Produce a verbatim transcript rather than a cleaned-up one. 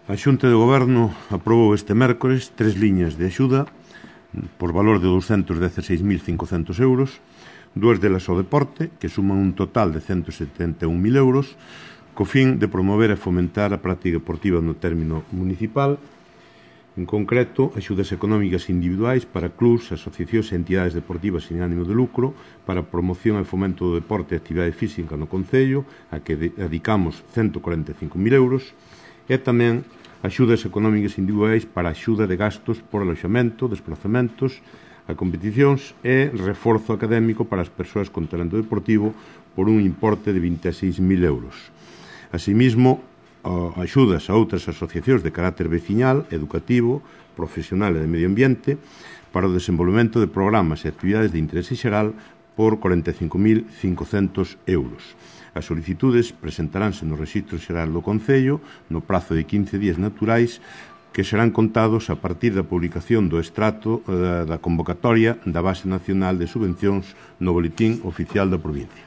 A Xunta de Goberno aprobou este mércores tres liñas de axuda por valor de douscentos dezasseis mil cincocentos euros, dúas delas ao deporte, que suman un total de cento setenta e un mil euros, co fin de promover e fomentar a práctica deportiva no término municipal, en concreto, axudas económicas individuais para clubs, asociacións e entidades deportivas sin ánimo de lucro, para a promoción e fomento do deporte e actividade física no Concello, a que dedicamos cento corenta e cinco mil euros, e tamén axudas económicas individuais para a axuda de gastos por aloxamento, desplazamentos, a competicións e reforzo académico para as persoas con talento deportivo por un importe de vinte e seis mil euros. Asimismo, axudas a outras asociacións de carácter veciñal, educativo, profesional e de medio ambiente para o desenvolvemento de programas e actividades de interese xeral por corenta e cinco mil cincocentos euros. As solicitudes presentaránse no Rexistro Xeral do Concello no prazo de quince días naturais que serán contados a partir da publicación do extracto da convocatoria da Base Nacional de Subvencións no Boletín Oficial da Provincia.